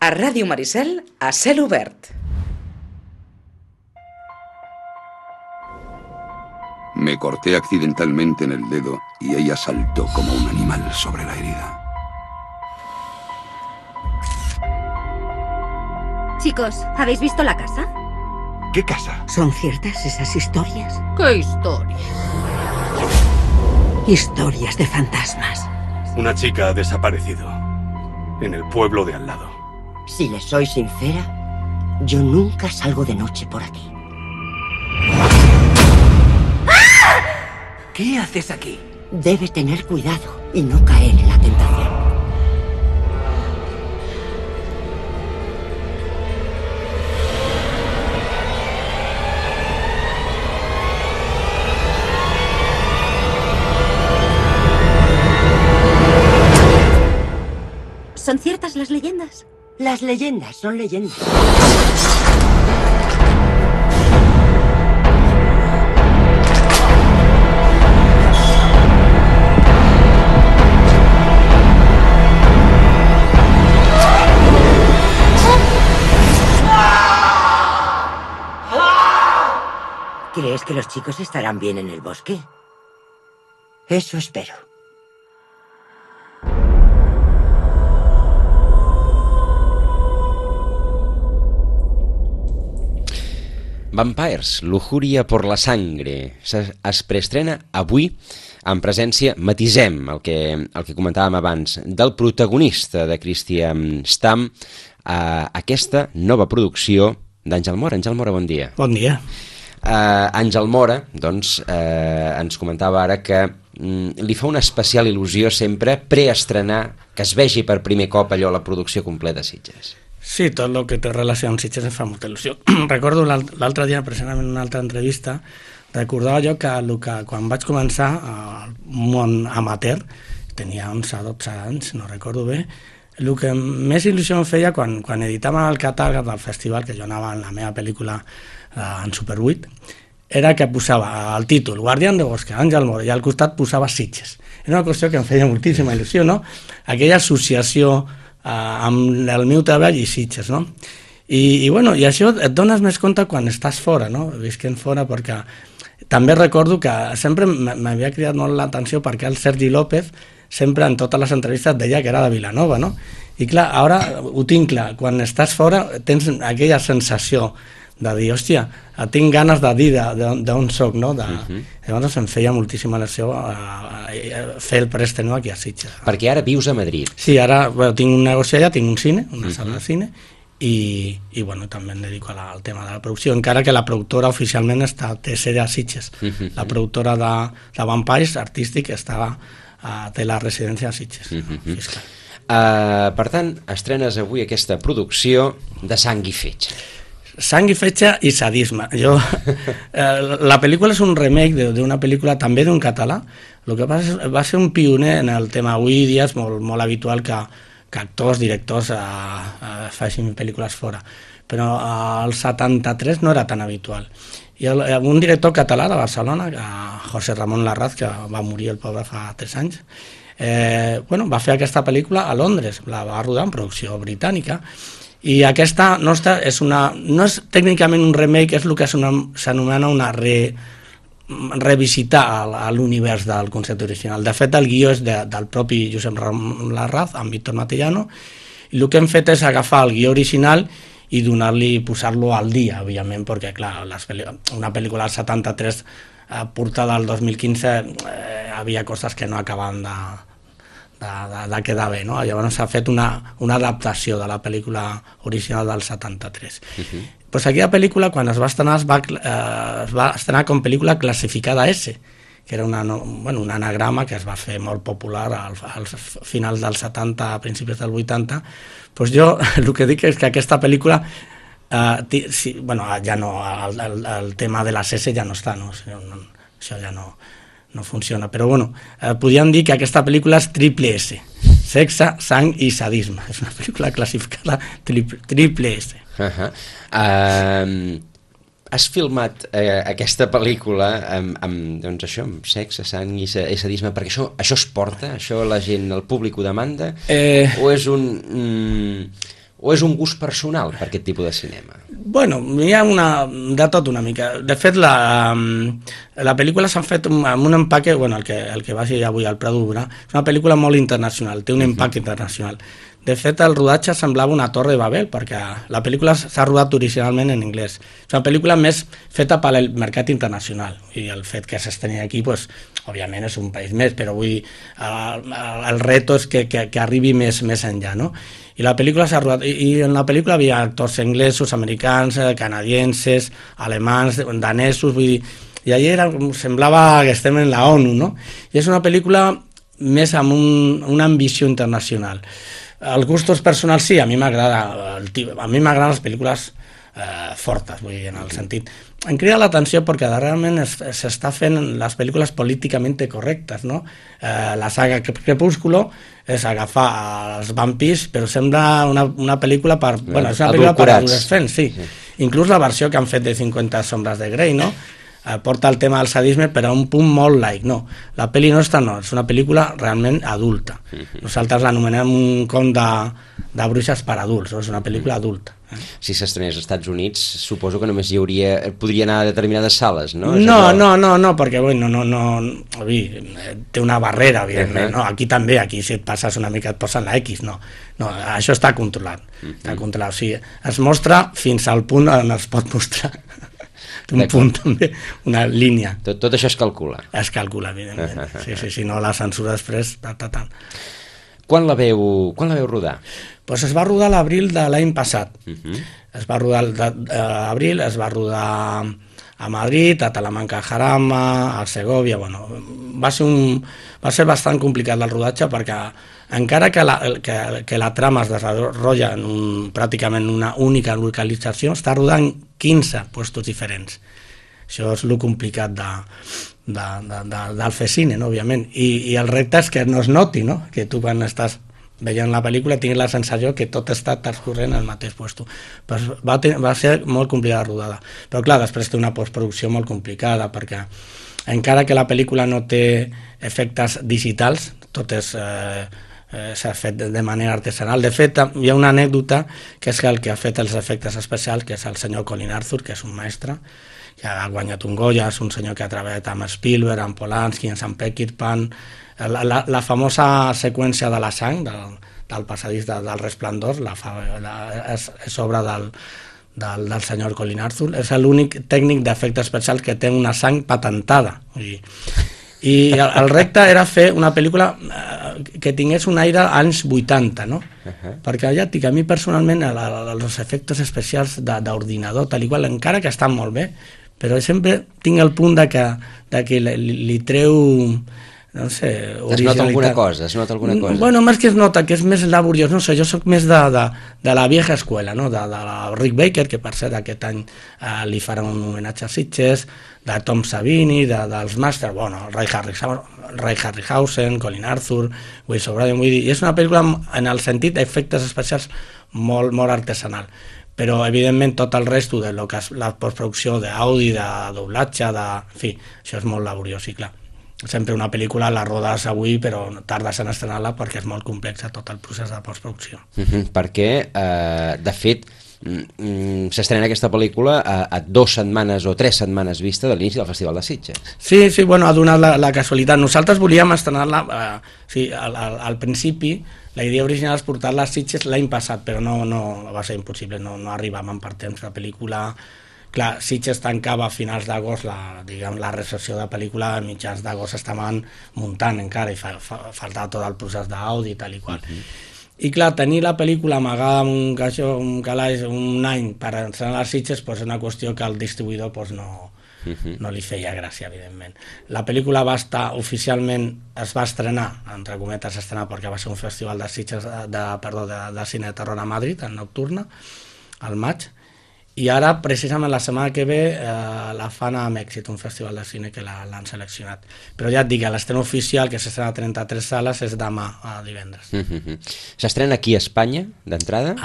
A Ràdio Maricel, a cel obert. Me corté accidentalmente en el dedo y ella saltó como un animal sobre la herida. Chicos, ¿habéis visto la casa? ¿Qué casa? ¿Son ciertas esas historias? ¿Qué historia? Historias de fantasmas. Una chica ha desaparecido en el pueblo de al lado. Si les soy sincera, yo nunca salgo de noche por aquí. ¿Qué haces aquí? Debe tener cuidado y no caer en la tentación. ¿Son ciertas las leyendas? Las leyendas son leyendas. ¿Crees que los chicos estarán bien en el bosque? Eso espero. Vampires, Lujuria por la sangre. Es preestrena avui en presència, matisem el que comentàvem abans, del protagonista de Christian Stamm, aquesta nova producció d'Àngel Mora. Àngel Mora, bon dia. Bon dia. Àngel Mora, doncs, ens comentava ara que li fa una especial il·lusió sempre preestrenar, que es vegi per primer cop allò, la producció completa de Sitges. Sí, tot el que té relació amb Sitges em fa molta il·lusió. Recordo l'altre dia, precisament en una altra entrevista, recordava jo que quan vaig començar al món amateur, tenia 11-12 anys, no recordo bé, el que més il·lusió em feia quan editaven el catàleg del festival, que jo anava en la meva pel·lícula en Super 8, era que posava el títol Guardián de Bosque, Àngel Mora, i al costat posava Sitges. Era una qüestió que em feia moltíssima il·lusió, no? Aquella associació amb el meu treball i Sitges, no? I això et dones més compte quan estàs fora, no? Visquent fora, perquè també recordo que sempre m'havia cridat molt l'atenció perquè el Sergi López sempre en totes les entrevistes deia que era de Vilanova, no? I clar, ara ho tinc clar, quan estàs fora tens aquella sensació de dir, hòstia, tinc ganes de dir d'on soc, no? Llavors em feia moltíssima il·lusió fer el preestreno aquí a Sitges. Perquè ara vius a Madrid. Sí, ara tinc un negoci allà, tinc un cine, una sala de cine, i també em dedico al tema de la producció, encara que la productora oficialment té sede a Sitges. La productora de Vampires artístic té la residència a Sitges, fiscal. Per tant, estrenes avui aquesta producció de Sang i Fetge. Sang i fetge i sadisme. La pel·lícula és un remake d'una pel·lícula també d'un català. El que passa és que va ser un pioner en el tema. Avui dia és molt habitual que actors, directors facin pel·lícules fora. Però al 73 no era tan habitual. I un director català de Barcelona, José Ramón Larraz, que va morir el pobre fa 3 anys, va fer aquesta pel·lícula a Londres, la va rodar en producció britànica. I aquesta nostra no és tècnicament un remake, és el que s'anomena una revisitar a l'univers del concepte original. De fet, el guió és del propi Josep Ramon Larraz, amb Víctor Matellano, i el que hem fet és agafar el guió original i posar-lo al dia, òbviament, perquè, clar, una pel·lícula del 73 portada al 2015 havia coses que no acabaven de quedar bé, no? Llavors s'ha fet una adaptació de la pel·lícula original del 73. Pues aquí la pel·lícula, quan es va estrenar, es va estrenar com pel·lícula classificada S, que era un anagrama que es va fer molt popular als finals dels 70, a principis del 80. Pues jo el que dic és que aquesta pel·lícula ja no, el tema de les S ja no està, no? Això ja no funciona, però podríem dir que aquesta pel·lícula és triple S, sexe, sang i sadisme. És una pel·lícula classificada triple S. Has filmat aquesta pel·lícula amb sexe, sang i sadisme, perquè això es porta, això la gent, el públic ho demanda, o és o és un gust personal per aquest tipus de cinema? Bueno, hi ha de tot una mica. De fet, la pel·lícula s'ha fet amb un empaque, bueno, el que va ser avui al Prado Urà, és una pel·lícula molt internacional, té un empaque internacional. De fet, el rodatge semblava una torre de Babel, perquè la pel·lícula s'ha rodat originalment en anglès. És una pel·lícula més feta per al mercat internacional, i el fet que s'estreni aquí, pues, òbviament és un país més, però vull dir, el reto és que arribi més enllà, no? I la pel·lícula s'ha rodat, i en la pel·lícula havia actors anglesos, americans, canadienses, alemans, danesos, vull dir, i allà semblava que estem en la ONU, no? I és una pel·lícula més amb una ambició internacional. Els gustos personals sí, a mi m'agraden les pel·lícules fortes, vull dir, en el sentit. Em crida l'atenció perquè darrerament s'està fent les pel·lícules políticament correctes, no? La saga Crepúsculo és agafar els vampirs, però sembla una pel·lícula per... Bueno, és una pel·lícula per adolescents, sí. Inclús la versió que han fet de 50 sombres de Grey, no? Porta el tema del sadisme però a un punt molt laic, no, la pel·li nostra no, és una pel·lícula realment adulta. Nosaltres l'anomenem un conte de bruixes per adults, no? És una pel·lícula adulta. Si s'estrenés als Estats Units, suposo que només podria anar a determinades sales, no? No, perquè bueno, té una barrera, evidentment, no? Aquí també, aquí si et passes una mica et posen la X, no, això està controlat, o sigui, es mostra fins al punt on es pot mostrar. Un punt també, una línia. Tot això es calcula? Es calcula, evidentment. Sí, no la censura després... Quan la veu rodar? Pues es va rodar a l'abril de l'any passat. Es va rodar a l'abril, es va rodar a Madrid, a Talamanca, a Jarama, a Segovia... Bueno, va ser bastant complicat el rodatge perquè encara que la trama es desenvolupa pràcticament una única localització, està rodant 15 puestos diferents. Això és el complicat del fer cine, no? Òbviament. I el repte és que no es noti, no? Que tu quan estàs veient la pel·lícula tinguis la sensació que tot està transcorrent al mateix puesto. Pues va ser molt complicada la rodada. Però clar, després té una postproducció molt complicada perquè encara que la pel·lícula no té efectes digitals, tot s'ha fet de manera artesanal. De fet, hi ha una anècdota que és que el que ha fet els efectes especials, que és el senyor Colin Arthur, que és un mestre, que ha guanyat un Goya, és un senyor que ha treballat amb Spielberg, amb Polanski, amb Sam Peckinpah. La famosa seqüència de la sang, del passadís del Resplendor, és obra del senyor Colin Arthur. És l'únic tècnic d'efectes especials que té una sang patentada. I el repte era fer una pel·lícula que tingués un aire anys 80, no? Perquè ja et dic, a mi personalment els efectes especials d'ordinador, tal i qual, encara que estan molt bé, però sempre tinc el punt de que li treu, no sé, originalitat. Es nota alguna cosa? Bueno, més que es nota, que és més laboriós, no sé, jo soc més de la vieja escuela, no? De Rick Baker, que per cert aquest any li farà un homenatge a Sitges, de Tom Savini, dels Masters, bueno, Ray Harryhausen, Colin Arthur, Will O'Brien, vull dir, i és una pel·lícula en el sentit d'efectes especials molt artesanal, però evidentment tot el resto de lo que és la postproducció d'àudio, de doblatge, en fi, això és molt laboriós, i clar, sempre una pel·lícula la rodes avui però tardes en estrenar-la perquè és molt complexa tot el procés de postproducció. Perquè, de fet, s'estrena aquesta pel·lícula a 2 setmanes o 3 setmanes vista de l'inici del Festival de Sitges. Sí, bueno, ha donat la casualitat. Nosaltres volíem estrenar-la, al principi, la idea original és portar-la a Sitges l'any passat, però no va ser impossible, no arribàvem per temps. La pel·lícula, clar, Sitges tancava a finals d'agost, la recepció de pel·lícula, a mitjans d'agost estaven muntant encara i faltava tot el procés d'àudio i tal i qual. I clar, tenir la pel·lícula amagada amb un calaix un any per estrenar les Sitges és una qüestió que el distribuïdor no li feia gràcia, evidentment. La pel·lícula oficialment es va estrenar, entre cometes estrenar, perquè va ser un festival de Sitges de cine de terror a Madrid, en Nocturna, al maig, i ara, precisament la setmana que ve, la fan a Mèxic, un festival de cine que l'han seleccionat. Però ja et dic, l'estrena oficial, que s'estrena a 33 sales, és demà, divendres. S'estrena aquí a Espanya, d'entrada?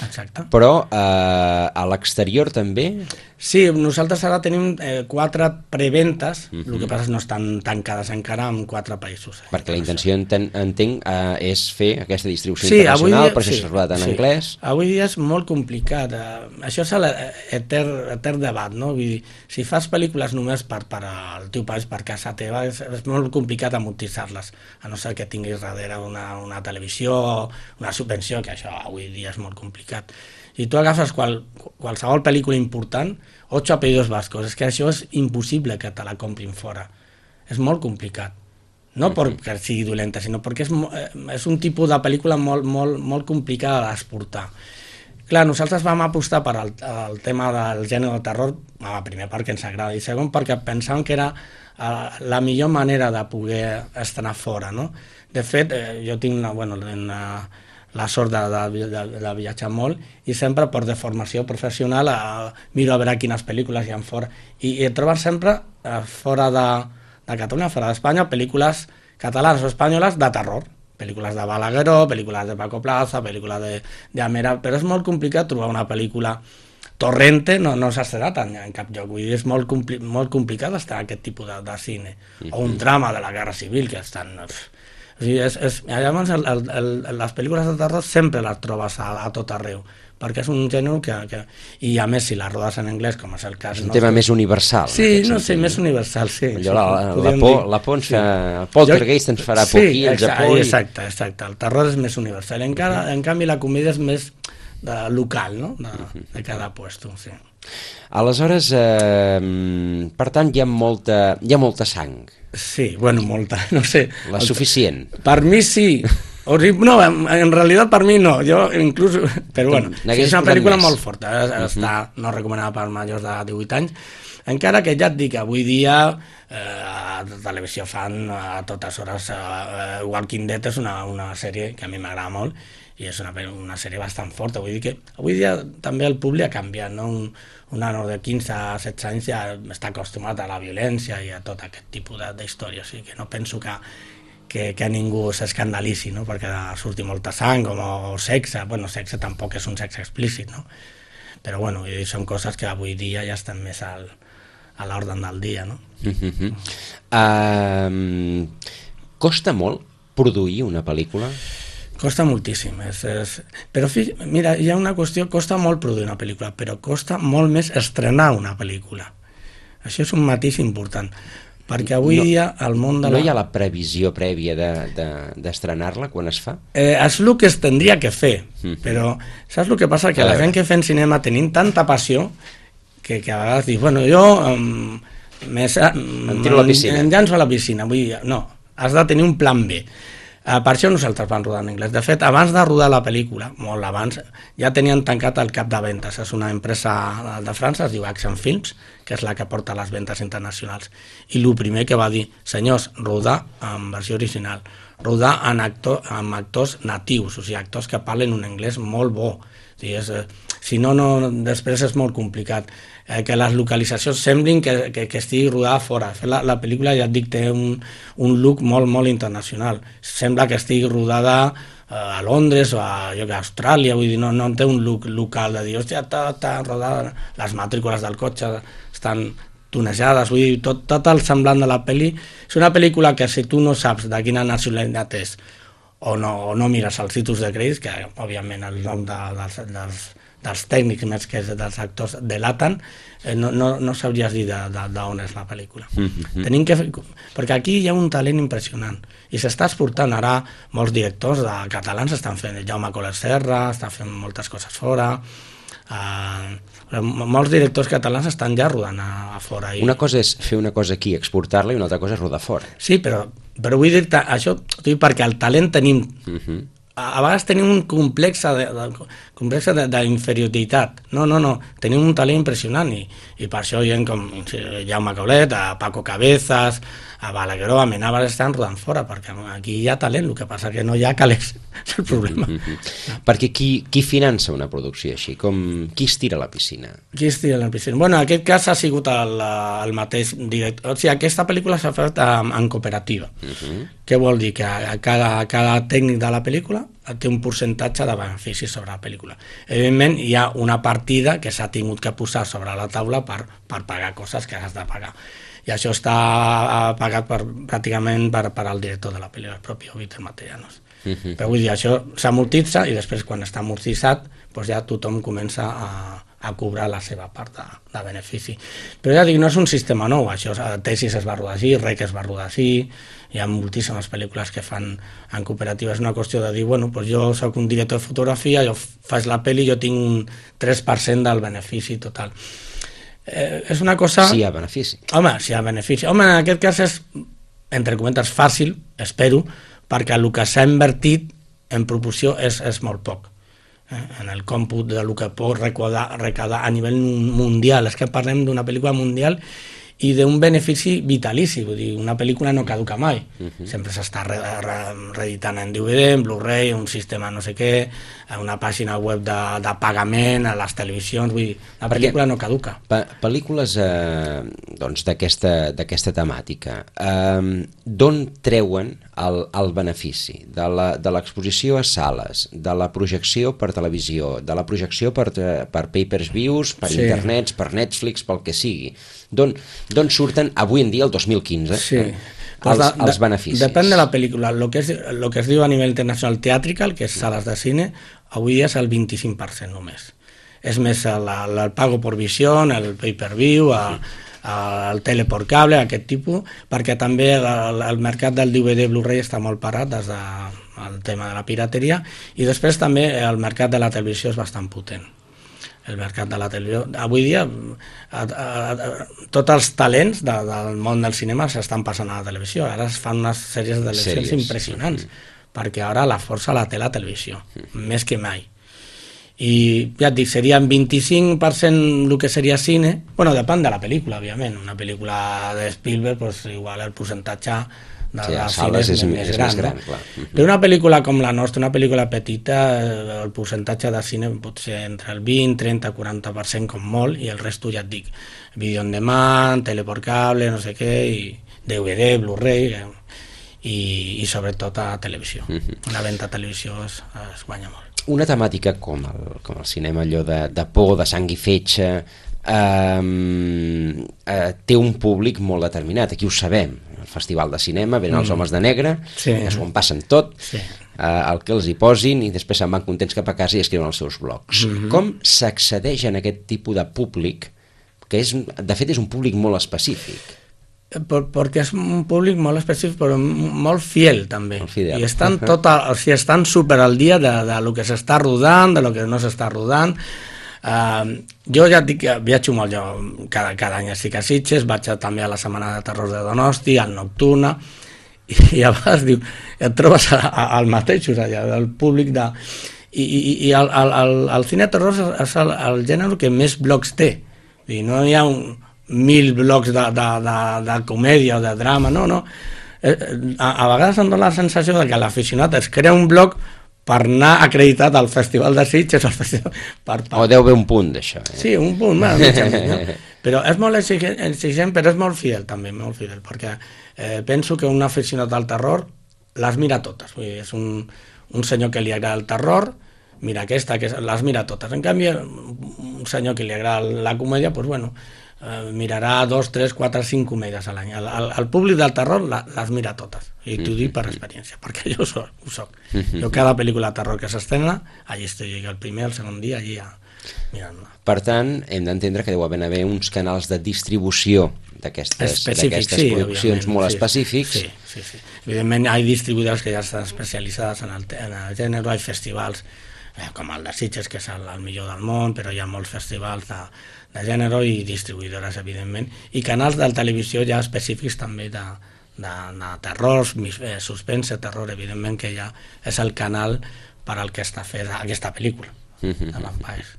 Exacte. Però a l'exterior també? Sí, nosaltres ara tenim 4 preventes, el que passa és que no estan tancades encara en 4 països. Perquè la intenció, entenc, és fer aquesta distribució internacional, per això s'ha rodat en anglès. Avui dia és molt complicat. Això és l'etern debat, no? Vull dir, si fas pel·lícules només per al teu país, per casa teva, és molt complicat amortitzar-les, a no ser que tinguis darrere una televisió, una subvenció, que això avui dia és molt complicat. I tu agafes qualsevol pel·lícula important, 8 apellidos vascos, és que això és impossible que te la comprin fora. És molt complicat. No perquè sigui dolenta, sinó perquè és un tipus de pel·lícula molt complicada d'exportar. Clar, nosaltres vam apostar per el tema del gènere de terror, primer perquè ens agrada, i segon perquè pensàvem que era la millor manera de poder estrenar fora, no? De fet, jo tinc la sort de viatjar molt i sempre per de formació professional miro a veure quines pel·lícules hi ha fora i trobes sempre fora de Catalunya, fora d'Espanya, pel·lícules catalanes o espanyoles de terror, pel·lícules de Balagueró, pel·lícules de Paco Plaza, pel·lícules de Amera, però és molt complicat trobar una pel·lícula Torrente, no s'ha estrenat en cap lloc, vull dir, és molt complicat estar en aquest tipus de cine, o un drama de la Guerra Civil que estan... O sigui, llavors les pel·lícules de terror sempre les trobes a tot arreu, perquè és un gènere que... I a més, si les rodes en anglès, com és el cas... És un tema més universal. Sí, no sé, més universal, sí. La por ens fa... El poltergeist ens farà por aquí, el Japó... Exacte, el terror és més universal. En canvi, la comèdia és més local, no?, de cada puesto, sí. Aleshores, per tant, hi ha molta sang. Sí, bueno, molta, no sé. La suficient. Per mi sí. No, en realitat per mi no. Jo inclús... Però bueno, és una pel·lícula molt forta. Està no recomanada per majors de 18 anys. Encara que ja et dic, avui dia a la televisió fan a totes hores... Walking Dead és una sèrie que a mi m'agrada molt i és una sèrie bastant forta. Vull dir que avui dia també el públic ha canviat, no? Un nano de 15 a 16 anys ja està acostumat a la violència i a tot aquest tipus d'història, o sigui que no penso que ningú s'escandalitzi, no? Perquè surti molta sang o sexe, bueno, sexe tampoc és un sexe explícit, no? Però bueno, són coses que avui dia ja estan més a l'ordre del dia, no? Costa molt produir una pel·lícula? Costa moltíssim, però mira, hi ha una qüestió, costa molt produir una pel·lícula, però costa molt més estrenar una pel·lícula. Això és un matís important, perquè avui dia el món de No hi ha la previsió prèvia d'estrenar-la quan es fa? És el que es tindria que fer, però saps el que passa? Que la gent que fem cinema tenim tanta passió que a vegades dius, bueno, jo em tiro a la piscina. Em llanço a la piscina, vull dir, no, has de tenir un plan B. Per això nosaltres vam rodar en anglès. De fet, abans de rodar la pel·lícula, molt abans, ja tenien tancat el cap de ventes. És una empresa de França, es diu Action Films, que és la que porta les ventes internacionals. I el primer que va dir, senyors, rodar en versió original, rodar amb actors natius, o sigui, actors que parlen un anglès molt bo. Si no, després és molt complicat. Que les localitzacions semblin que estigui rodada fora. La pel·lícula, ja et dic, té un look molt, molt internacional. Sembla que estigui rodada a Londres o a Austràlia, vull dir, no té un look local de dir, hòstia, està rodada, les matrícules del cotxe estan tunejades, vull dir, tot el semblant de la pel·li. És una pel·lícula que si tu no saps de quina nacionalitat és o no mires els títols de crèdits, que òbviament el nom dels tècnics més que dels actors delaten, no sabries dir d'on és la pel·lícula. Perquè aquí hi ha un talent impressionant i s'està exportant. Ara molts directors catalans estan fent, Jaume Coler Serra està fent moltes coses fora, molts directors catalans estan ja rodant a fora. Una cosa és fer una cosa aquí, exportar-la, i una altra cosa és rodar fora. Sí, però vull dir-te això perquè el talent tenim. A vegades tenim un complex d'inferioritat. No, tenim un talent impressionant i per això hi ha com Jaume Colet, a Paco Cabezas, a Balagueró, a Menábar estan rodant fora, perquè aquí hi ha talent, el que passa que no hi ha calés, és el problema. Perquè qui finança una producció així? Qui es tira a la piscina? Qui es tira a la piscina? Bueno, en aquest cas ha sigut el mateix director. O sigui, aquesta pel·lícula s'ha fet en cooperativa. Què vol dir? Que cada tècnic de la pel·lícula té un percentatge de benefici sobre la pel·lícula. Evidentment, hi ha una partida que s'ha tingut que posar sobre la taula per pagar coses que has de pagar. I això està pagat pràcticament per al director de la pel·lícula, el propi Víctor Matellanos. Però vull dir, això s'amortitza i després quan està amortitzat doncs ja tothom comença a cobrar la seva part de benefici. Però ja dic, no és un sistema nou, això, Tesis es va rodar així, Rec es va rodar així, hi ha moltíssimes pel·lícules que fan en cooperativa, és una qüestió de dir, bueno, doncs jo soc un director de fotografia, jo faig la pel·li, jo tinc un 3% del benefici total. És una cosa... Si hi ha benefici. Home, si hi ha benefici. Home, en aquest cas és, entre cometes, fàcil, espero, perquè el que s'ha invertit en proporció és molt poc. En el còmput del que pot recaudar a nivell mundial. És que parlem d'una pel·lícula mundial i d'un benefici vitalici, vull dir, una pel·lícula no caduca mai, sempre s'està reeditant en DVD, en Blu-ray, un sistema no sé què, una pàgina web de pagament a les televisions, vull dir, la pel·lícula no caduca. Pel·lícules doncs, d'aquesta temàtica, d'on treuen el benefici? De l'exposició a sales, de la projecció per televisió, de la projecció per pay-per-views, per internets, per Netflix, pel que sigui. D'on surten avui en dia, el 2015, els beneficis? Depèn de la pel·lícula. El que es diu a nivell internacional theatrical, que és sales de cine, avui dia és el 25% només. És més el pago por visión, el pay-per-view, el tele por cable, aquest tipus, perquè també el mercat del DVD Blu-ray està molt parat des del tema de la pirateria, i després també el mercat de la televisió és bastant potent. El mercat de la televisió. Avui dia tots els talents del món del cinema s'estan passant a la televisió. Ara es fan unes sèries de televisions impressionants, perquè ara la força la té la televisió, més que mai. I ja et dic, seria un 25% el que seria cine. Bueno, depèn de la pel·lícula, òbviament. Una pel·lícula de Spielberg, doncs, igual el percentatge de cine és més gran. Clar. Però una pel·lícula com la nostra, una pel·lícula petita, el percentatge de cine pot ser entre el 20, 30, 40% com molt, i el resto, ja et dic, vídeo on demand, tele por cable, no sé què, i DVD, Blu-ray, i sobretot a televisió. La venda a televisió es guanya molt. Una temàtica com el cinema, allò de por, de sang i fetge, té un públic molt determinat, aquí ho sabem. El festival de cinema, venen els homes de negre, s'ho en passen tot, el que els hi posin, i després se'n van contents cap a casa i escriuen els seus blogs. Com s'accedeix a aquest tipus de públic, que de fet és un públic molt específic? Perquè és un públic molt específic, però molt fiel també, i estan super al dia de lo que s'està rodant, de lo que no s'està rodant. Jo ja et dic que viatjo molt, jo cada any estic a Sitges, vaig també a la Setmana de Terror de Donosti, al Nocturna, i a vegades et trobes al mateix, el públic de... I el cine de terror és el gènere que més blocs té, no hi ha 1.000 blocs de comèdia o de drama, no. A vegades em dóna la sensació que l'aficionat es crea un bloc per anar acreditat al Festival de Sitges, o deu haver un punt d'això. Sí, un punt, però és molt exigent, però és molt fidel també, molt fidel, perquè penso que un aficionat al terror les mira totes, és un senyor que li agrada el terror, mira aquesta, les mira totes. En canvi, un senyor que li agrada la comèdia, doncs bueno, mirarà 2, 3, 4, 5 comèdies a l'any. El públic del terror les mira totes, i t'ho dic per experiència, perquè jo ho soc. Jo cada pel·lícula de terror que s'estrena, allí estic el primer, el segon dia, allí mirant-la. Per tant, hem d'entendre que deu haver uns canals de distribució d'aquestes produccions molt específics. Sí. Evidentment hi ha distribuïdors que ja estan especialitzades en el gènere, hi ha festivals com el de Sitges, que és el millor del món, però hi ha molts festivals de gènere i distribuïdores, evidentment, i canals de televisió ja específics també de terror, suspense, terror, evidentment, que ja és el canal per al que està feta aquesta pel·lícula de Vampires.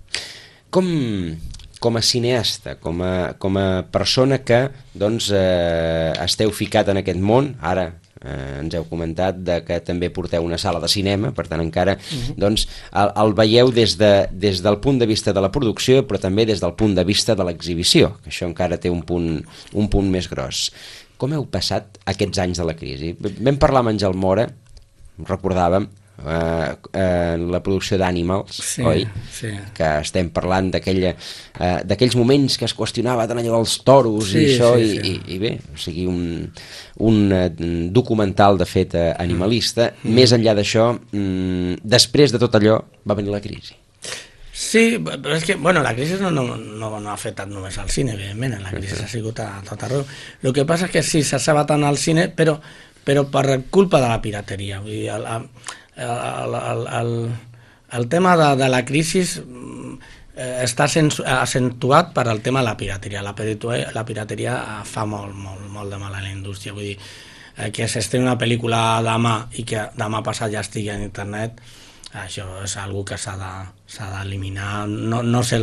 Com a cineasta, com a persona que esteu ficat en aquest món, ara ens heu comentat que també porteu una sala de cinema, per tant encara el veieu des del punt de vista de la producció, però també des del punt de vista de l'exhibició, que això encara té un punt més gros. Com heu passat aquests anys de la crisi? Vam parlar amb Àngel Mora, recordàvem, la producció d'Animals, Sí, oi? sí. Que estem parlant d'aquells moments que es qüestionava tant allò dels toros i això, i bé, o sigui, un documental de fet animalista. Més enllà d'això, després de tot allò va venir la crisi. Sí, però és que, bueno, la crisi no ha afectat només al cine, evidentment, la crisi ha sigut a tot arreu. El que passa és que sí, s'ha sabat tant al cine, però per culpa de la pirateria. Vull dir, el tema de la crisi està acentuat per al tema de la pirateria. La pirateria fa molt de mal a la indústria. Vull dir, que s'estreni una pel·lícula demà i que demà passat ja estigui a internet, això és algo que s'ha d'eliminar, no sé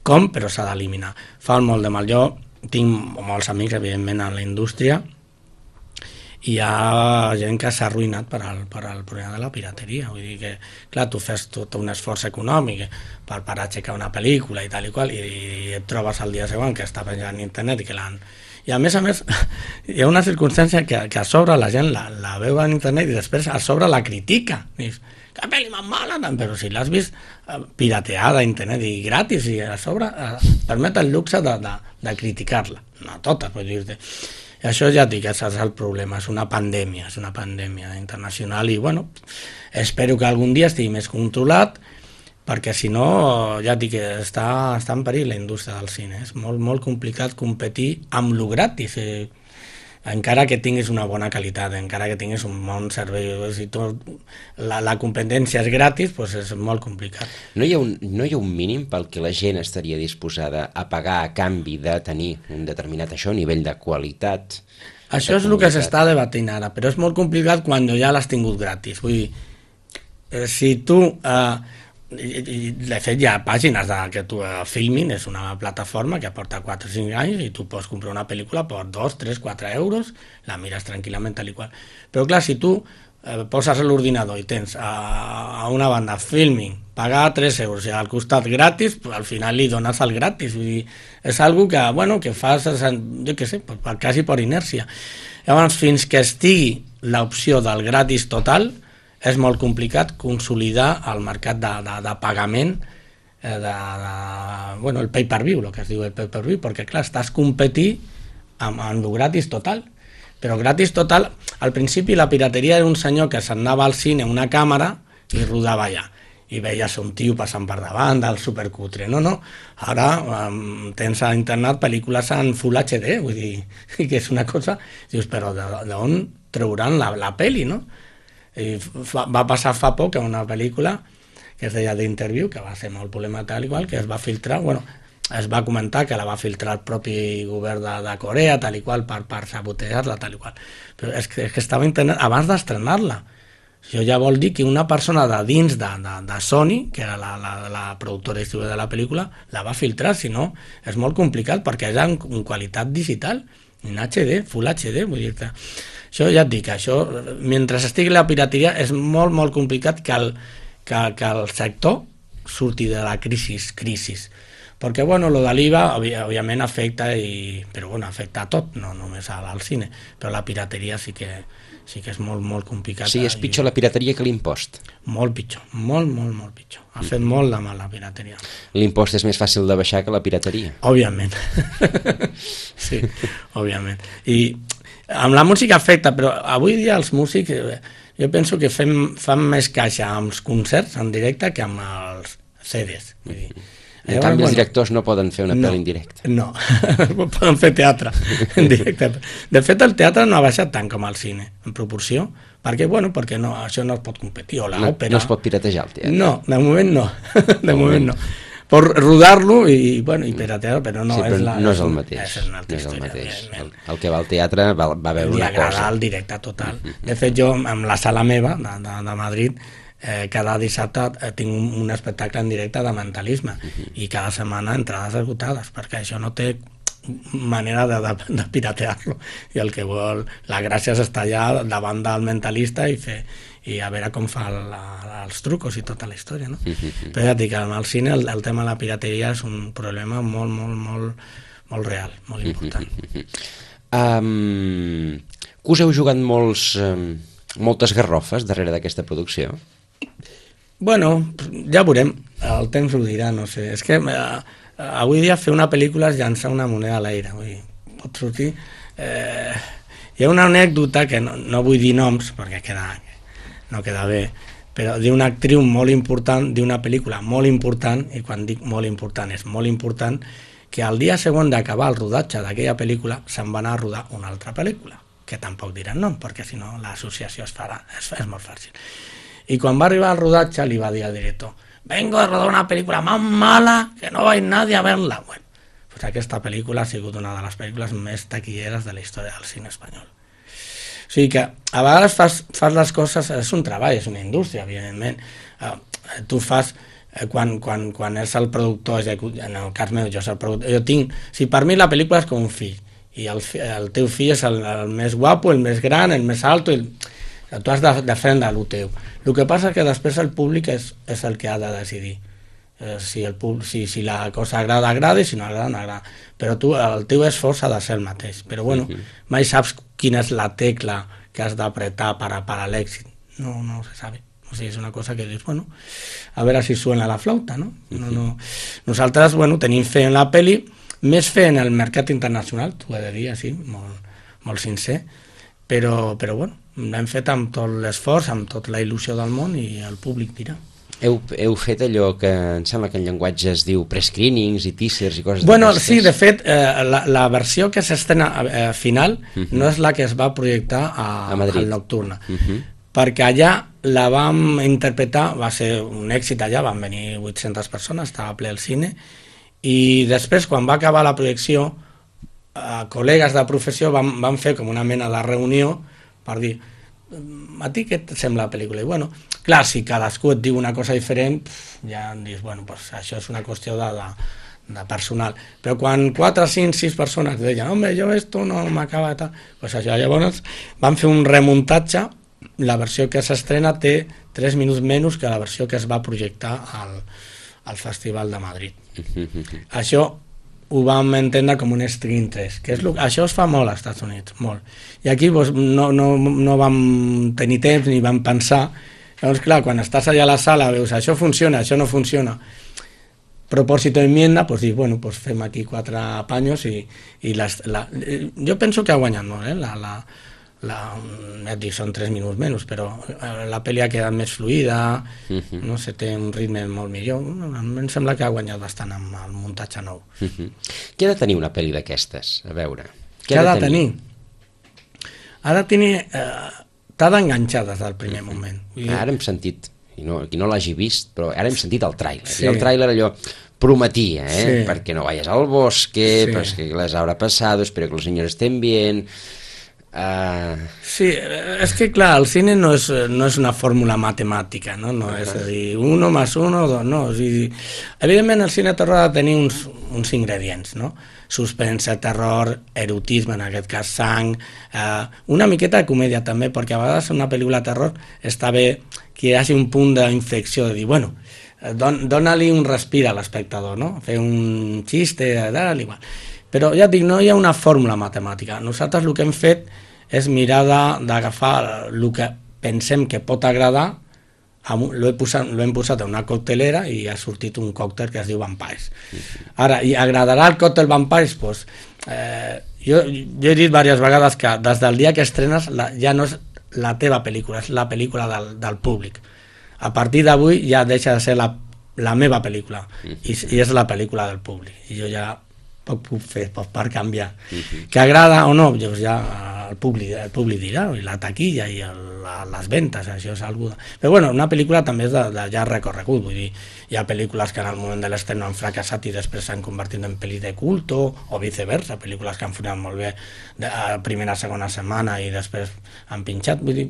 com, però s'ha d'eliminar. Fa molt de mal. Jo tinc molts amics, evidentment, en la indústria, i hi ha gent que s'ha arruïnat per al problema de la pirateria. Vull dir que, clar, tu fes tot un esforç econòmic per aixecar una pel·lícula i tal i qual, i et trobes el dia següent que està penjant a internet i que l'han... I a més, hi ha una circumstància que a sobre la gent la veu en internet i després a sobre la critica. Dius, que pel·li més mala, però si l'has vist pirateada a internet i gratis, i a sobre permet el luxe de criticar-la. No totes, vull dir-te. I això ja dic, és el problema, és una pandèmia internacional i, bueno, espero que algun dia estigui més controlat, perquè si no, ja dic que està en perill la indústria del cine. És molt complicat competir amb lo gratis, encara que tinguis una bona qualitat, encara que tinguis un bon servei. Si la competència és gratis, doncs és molt complicat. No hi ha un mínim pel que la gent estaria disposada a pagar a canvi de tenir un determinat nivell de qualitat? Això és el que s'està debatint ara, però és molt complicat quan ja l'has tingut gratis. Vull dir, si tu... de fet hi ha pàgines que tu Filmin és una plataforma que porta 4 o 5 anys i tu pots comprar una pel·lícula per 2, 3, 4 euros, la mires tranquil·lament tal i qual. Però clar, si tu poses l'ordinador i tens a una banda Filmin, pagar 3 euros i al costat gratis, al final li dones el gratis. Vull dir, és algo que, bueno, que fas, jo què sé, quasi per inèrcia. Llavors, fins que estigui l'opció del gratis total, és molt complicat consolidar el mercat de pagament, el pay-per-view, el que es diu el pay-per-view, perquè clar, estàs competint amb el gratis total, però gratis total, al principi la pirateria era un senyor que s'anava al cine amb una càmera i rodava allà, i veies un tio passant per davant del supercutre. No, ara tens a internet pel·lícules en Full HD, vull dir, que és una cosa, dius, però d'on trauran la pel·li, no? I va passar fa poc una pel·lícula que es deia The Interview, que va ser molt polèmica tal i qual, que es va filtrar, es va comentar que la va filtrar el propi govern de Corea tal i qual per sabotejar-la tal i qual, però és que estava a internet abans d'estrenar-la. Això ja vol dir que una persona de dins de Sony, que era la productora i distribuïdora de la pel·lícula, la va filtrar, si no és molt complicat perquè és en qualitat digital, en HD, Full HD, vull dir-te. Això ja et dic, mentre estigui la pirateria és molt complicat que el sector surti de la crisi, perquè, lo de l'IVA, òbviament, afecta, però afecta a tot, no només al cine, però la pirateria sí que és molt complicat. Sí, és pitjor la pirateria que l'impost. Molt pitjor, molt pitjor. Ha fet molt de mal la pirateria. L'impost és més fàcil de baixar que la pirateria. Òbviament. Sí, òbviament. I amb la música afecta, però avui dia els músics, jo penso que fan més caixa amb els concerts en directe que amb els CDs. Vull dir. En canvi, els directors no poden fer una pel·li en directe. No, poden fer teatre en directe. De fet, el teatre no ha baixat tant com el cine, en proporció, perquè no, això no es pot competir. O l'òpera... No es pot piratejar el teatre. No, de moment no. De moment no. Por rodar-lo i piratear, però no, sí, però no és el mateix. És una altra història. El que va al teatre va veure una cosa. Li agrada el directe total. De fet, jo, amb la sala meva de Madrid, cada dissabte tinc un espectacle en directe de mentalisme i cada setmana entrades esgotades, perquè això no té manera de piratear-lo, i el que vol, la gràcia és estar allà davant del mentalista i a veure com fa els trucos i tota la història, no? Però ja et dic, al cine el tema de la pirateria és un problema molt real, molt important. Que us heu jugat moltes garrofes darrere d'aquesta producció? Bueno, ja veurem, el temps ho dirà, no sé. És que avui dia fer una pel·lícula és llançar una moneda a l'aire. Pot sortir... Hi ha una anècdota que no vull dir noms perquè no queda bé, però d'una actriu molt important d'una pel·lícula molt important, i quan dic molt important és molt important, que al dia següent d'acabar el rodatge d'aquella pel·lícula se'n va anar a rodar una altra pel·lícula, que tampoc diran nom, perquè si no l'associació és molt fàcil. I quan va arribar al rodatge li va dir al director: vengo a rodar una pel·lícula más mala que no va ir nadie a verla. Bueno, pues aquesta pel·lícula ha sigut una de les pel·lícules més taquilleres de la història del cine espanyol. O sigui que a vegades fas les coses, és un treball, és una indústria, evidentment. Tu fas, quan és el productor, en el cas meu, jo soc el productor, jo tinc, si per mi la pel·lícula és com un fill, i el teu fill és el més guapo, el més gran, el més alto, tu has de defendre el teu. El que passa és que després el públic és el que ha de decidir. Si la cosa agrada, agrada, i si no agrada, no agrada. Però el teu esforç ha de ser el mateix. Però bueno, mai saps quina és la tecla que has d'apretar per a l'èxit. No se sabe. O sigui, és una cosa que dius, bueno, a veure si suena la flauta, no? Nosaltres, bueno, tenim fe en la pel·li, més fe en el mercat internacional, t'ho he de dir així, molt sincer, però bueno, l'hem fet amb tot l'esforç, amb tota la il·lusió del món, i el públic dirà. Heu fet allò que em sembla que en llenguatge es diu prescreenings i teasers i coses bueno, d'aquestes? sí, de fet, la versió que s'estrena final no és la que es va projectar a Madrid, al Nocturna, perquè allà la vam interpretar, va ser un èxit allà, van venir 800 persones, estava ple el cine, i després, quan va acabar la projecció, col·legues de professió van fer com una mena de reunió per dir: a ti què et sembla la pel·lícula? I bueno, clar, si cadascú et diu una cosa diferent, ja dius, bueno, pues això és una qüestió de personal. Però quan 4, 5, 6 persones deien: home, jo esto no m'acaba de tal, pues això, llavors van fer un remuntatge. La versió que s'estrena té 3 minuts menys que la versió que es va projectar al Festival de Madrid. Això ho vam entendre com un screen test, que això es fa molt als Estats Units, molt. I aquí no vam tenir temps ni vam pensar. Llavors, clar, quan estàs allà a la sala veus això funciona, això no funciona, propòsito enmienda, pues dius, bueno, pues fem aquí 4 apanyos i jo penso que ha guanyat molt, et dic, són 3 minuts menys, però la pel·li ha quedat més fluida, no sé, té un ritme molt millor. Em sembla que ha guanyat bastant amb el muntatge nou. Què ha de tenir una pel·li d'aquestes? A veure, què ha de tenir? Ha de tenir... t'ha d'enganxar des del primer moment. Ara hem sentit, qui no l'hagi vist, però ara hem sentit el tràiler. Sí. I el tràiler allò prometia, sí, perquè no vayas al bosque, sí, pues que les habrá pasado, espero que los niños estén bien... Sí, és que clar, el cine no és una fórmula matemàtica, no és a dir 1 más 1, 2, no. O sigui, evidentment el cine terror ha de tenir uns ingredients, no? Suspense, terror, erotisme, en aquest cas sang, una miqueta de comèdia també, perquè a vegades una pel·lícula de terror està bé que hi hagi un punt d'inflexió, de dir, bueno, dona-li un respir a l'espectador, no? Fer un xiste, tal, igual. Però ja et dic, no hi ha una fórmula matemàtica. Nosaltres el que hem fet és mirar d'agafar el que pensem que pot agradar, l'hem posat en una coctelera i ha sortit un còctel que es diu Vampires. Ara, i agradarà el còctel Vampires? Pues, jo he dit diverses vegades que des del dia que estrenes ja no és la teva pel·lícula, és la pel·lícula del públic. A partir d'avui ja deixa de ser la meva pel·lícula i és la pel·lícula del públic. I jo ja poc puc fer per canviar. Que agrada o no, doncs ja el públic dirà, i la taquilla i les ventes, això és algo... Però bueno, una pel·lícula també és de llarg recorregut, vull dir, hi ha pel·lícules que en el moment de l'estreno han fracassat i després s'han convertit en pel·lis de culto, o viceversa, pel·lícules que han funcionat molt bé a primera, segona setmana i després han pinxat, vull dir,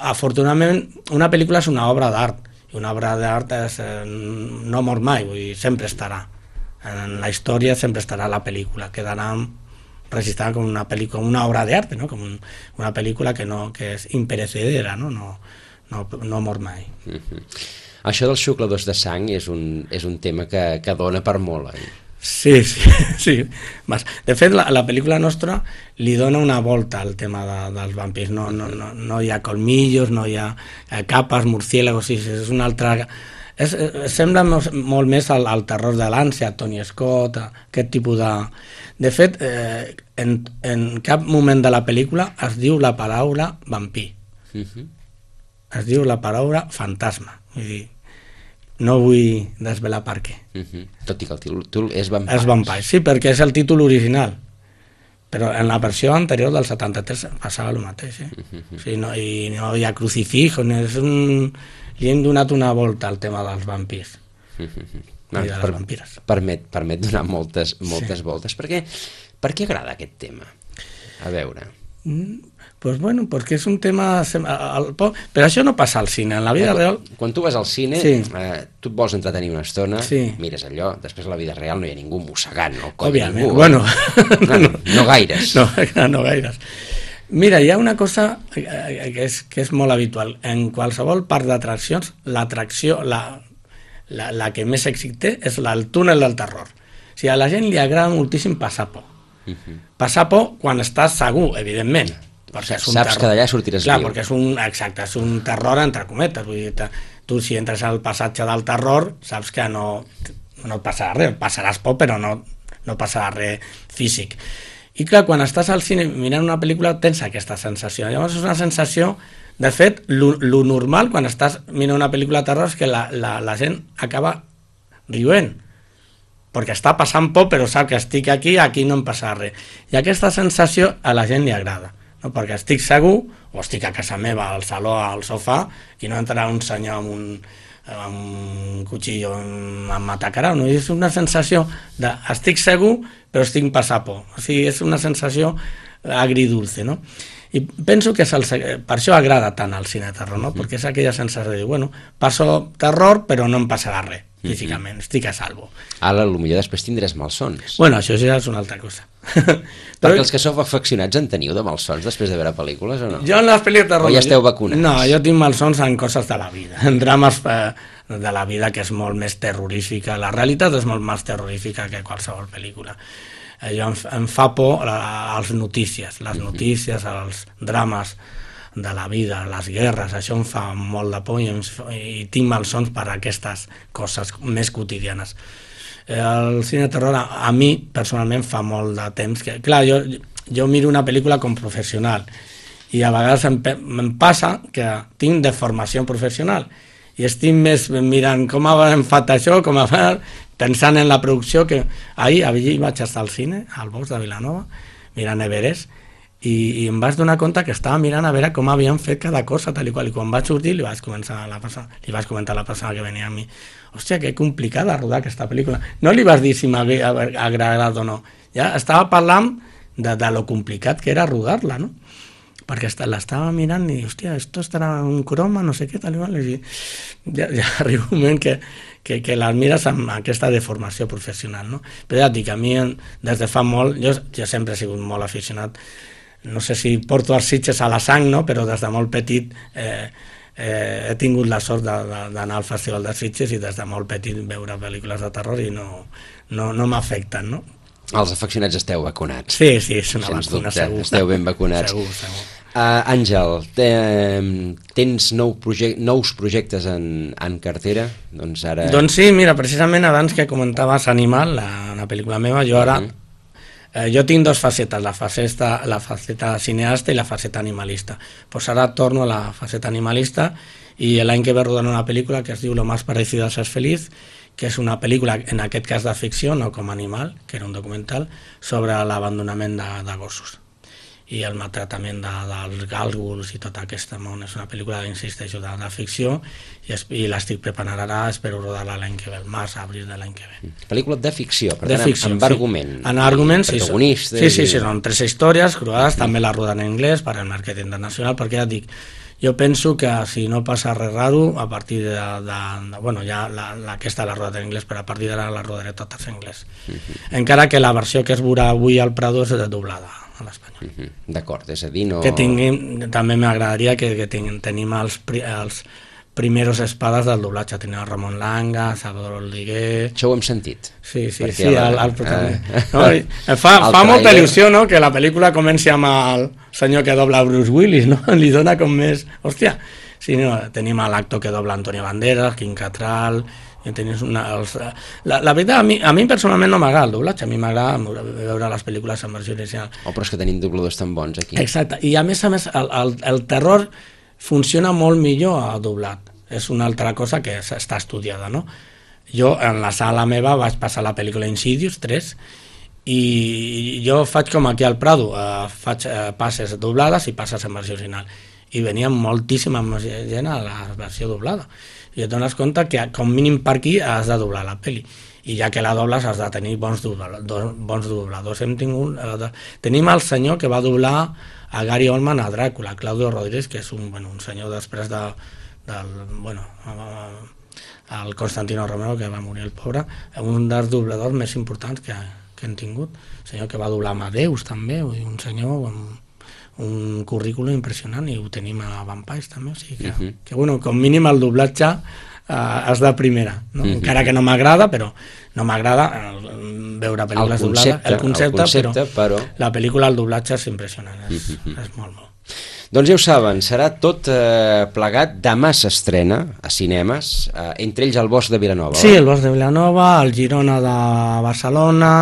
afortunadament una pel·lícula és una obra d'art, i una obra d'art no mor mai, vull dir, sempre estarà. En la història sempre estarà la pel·lícula, quedarà registrada com una obra d'arte, no? Com una pel·lícula que és imperecedera, no mor mai. Això dels xucladors de sang és un tema que dona per molt, oi? Sí. De fet, la pel·lícula nostra li dona una volta al tema dels vampirs. No hi ha colmillos, no hi ha capes, murciélagos, és una altra... Sembla molt més al terror de l'ànsia, Tony Scott, aquest tipus de... De fet, en cap moment de la pel·lícula es diu la paraula vampir. Es diu la paraula fantasma. Vull dir, no vull desvelar per què. Tot i que el títol és Vampires. És Vampires, sí, perquè és el títol original. Però en la versió anterior del 73 passava el mateix. O sigui, no hi ha crucifijo, li hem donat una volta al tema dels vampirs. I de les vampires. Permet donar moltes voltes. Per què agrada aquest tema? A veure... Pues bueno, perquè és un tema... Però això no passa al cine, en la vida real... Quan tu vas al cine, tu et vols entretenir una estona, mires allò, després a la vida real no hi ha ningú mossegant el coll de ningú. Bueno... No gaires. No gaires. Mira, hi ha una cosa que és molt habitual. En qualsevol parc d'atraccions, l'atracció, la que més èxit té és el túnel del terror. O sigui, a la gent li agrada moltíssim passar por. Passar por quan estàs segur, evidentment. Saps que d'allà sortiràs viu. Clar, perquè és un terror entre cometes. Vull dir, tu si entres al passatge del terror saps que no et passarà res, passaràs por però no passarà res físic. I clar, quan estàs al cine mirant una pel·lícula tens aquesta sensació. Llavors és una sensació, de fet, lo normal quan estàs mirant una pel·lícula de terror és que la gent acaba rient, perquè està passant por però sap que estic aquí no em passarà res. I aquesta sensació a la gent li agrada. No? Perquè estic segur, o estic a casa meva, al saló, al sofà, i no entrarà un senyor amb un cuchillo em m'atacarà. No? És una sensació de estic segur, però estic passant por. O sigui, és una sensació agridulce, no? I penso que per això agrada tant el cine terror, no? Perquè és aquella sensació de dir, bueno, passo terror, però no em passarà res, físicament, estic a salvo. Ara, potser després tindràs malsons. Bueno, això ja és una altra cosa. Perquè els que sou afeccionats en teniu de malsons després de veure pel·lícules o no? Jo en les pel·lícules de terror... O ja esteu vacunats? No, jo tinc malsons en coses de la vida, en drames de la vida que és molt més terrorífica. La realitat és molt més terrorífica que qualsevol pel·lícula. Jo em fa por les notícies, els drames de la vida, les guerres, això em fa molt de por i tinc malsons per aquestes coses més quotidianes. El cine de terror a mi personalment fa molt de temps que, clar, jo miro una pel·lícula com professional i a vegades em passa que tinc de formació professional i estic més mirant com hem fet això, pensant en la producció, que ahir vaig estar al cine, al Bosc de Vilanova, mirant Everest, i em vaig donar compte que estava mirant a veure com havien fet cada cosa, tal i qual, i quan vaig sortir li vaig comentar a la persona que venia a mi, hòstia, que complicada rodar aquesta pel·lícula. No li vas dir si m'havia agradat o no, ja estava parlant de lo complicat que era rodar-la, no? Perquè l'estava mirant i, hòstia, esto estarà un croma, no sé què, tal i qual, i ja arriba un moment que les mires amb aquesta deformació professional, no? Però ja et dic, a mi des de fa molt, jo sempre he sigut molt aficionat, no sé si porto els Sitges a la sang, no? Però des de molt petit he tingut la sort d'anar al Festival de Sitges i des de molt petit veure pel·lícules de terror i no m'afecten, no? Els afeccionats esteu vacunats. Sí, és una vacuna, segur. Esteu ben vacunats. Segur. Àngel, tens nous projectes en cartera? Doncs sí, mira, precisament abans que comentaves Animal, la pel·lícula meva, jo ara jo tinc dues facetes, la faceta cineasta i la faceta animalista. Pues ara torno a la faceta animalista i l'any que ve rodant una pel·lícula que es diu Lo más parecido a ser feliz, que és una pel·lícula, en aquest cas de ficció, no com Animal, que era un documental, sobre l'abandonament de gossos i el maltractament dels gàlgols i tot aquest món. És una pel·lícula, insisteixo, de ficció i l'estic preparant ara, espero rodar-la l'any que ve, el març, abril de l'any que ve. Pel·lícula de ficció, per tant, amb argument. En argument, sí. Sí, són 3 històries cruades, també la roden en anglès per al mercat internacional, perquè ja et dic, jo penso que si no passa res raro, a partir bueno, ja aquesta la rodat en anglès, però a partir d'ara la rodaré totes en anglès. Encara que la versió que es veurà avui al Prado és doblada a l'espanyol. D'acord, és a dir, no... Que tinguin, també m'agradaria que tenim els primeros espades del doblatge. Tenia el Ramon Langa, Salvador Oliguer... Això ho hem sentit. Sí, Perquè el protagonista. No, fa molta il·lusió, no?, que la pel·lícula comenci amb el senyor que dobla Bruce Willis, no? Li dona com més... Hòstia! Sí, no, tenim l'actor que dobla Antonio Banderas, Quim Cattrall... La veritat, a mi personalment no m'agrada el doblatge, a mi m'agrada veure les pel·lícules en versió original. Però és que tenim dobladors tan bons aquí. Exacte, i a més el terror funciona molt millor a doblat. És una altra cosa que està estudiada, no? Jo en la sala meva vaig passar la pel·lícula Insidious 3 i jo faig com aquí al Prado, faig passes doblades i passes en versió original, i venia moltíssima gent a la versió doblada, i et dones compte que com mínim per aquí has de doblar la pel·li, i ja que la dobles has de tenir bons dobladors. Tenim el senyor que va doblar a Gary Oldman a Dràcula, Claudio Rodríguez, que és un senyor després el Constantino Romero, que va morir el pobre, un dels dobladors més importants que hem tingut, senyor que va doblar Amadeus també, un senyor amb un currículum impressionant, i ho tenim a Vampires també, o sigui que com mínim el doblatge és de primera, no? Encara que no m'agrada, però no m'agrada veure pel·lícules doblades, el concepte, però la pel·lícula, el doblatge és impressionant, és molt. Doncs ja ho saben, serà tot plegat. Demà s'estrena a cinemes, entre ells el Bosc de Vilanova. Sí, el Bosc de Vilanova, el Girona de Barcelona,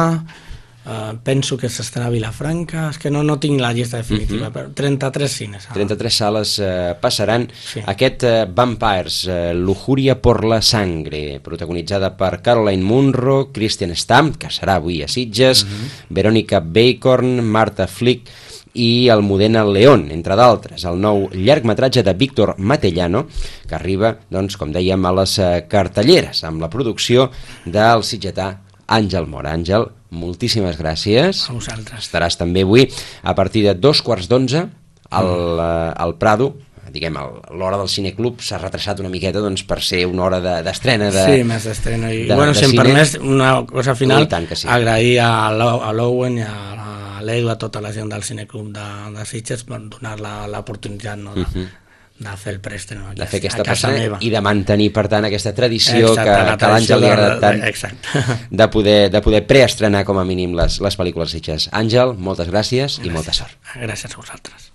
penso que s'estarà a Vilafranca, és que no tinc la llista definitiva, però 33 cines. 33 sales passaran aquest Vampires, Lujuria por la sangre, protagonitzada per Caroline Munro, Christian Stamp, que serà avui a Sitges, Verónica Bacon, Marta Flick i Almudena León, entre d'altres. El nou llargmetratge de Víctor Matellano, que arriba, doncs, com dèiem, a les cartelleres, amb la producció del sitgetà Àngel Mora. Àngel, moltíssimes gràcies. A vosaltres. Estaràs també avui a partir de 2:15 al Prado. Diguem, l'hora del cineclub s'ha retrasat una miqueta, doncs, per ser una hora d'estrena Sí, més d'estrena. I si em permets una cosa final, agrair a l'Owen i a l'Edu, a tota la gent del cineclub de Sitges, per donar l'oportunitat, no, de fer el preestreno de fer aquesta passada i de mantenir, per tant, aquesta tradició que a l'Àngel li agrada tant de poder preestrenar com a mínim les pel·lícules Sitges. Àngel, moltes gràcies i molta sort. Gràcies a vosaltres.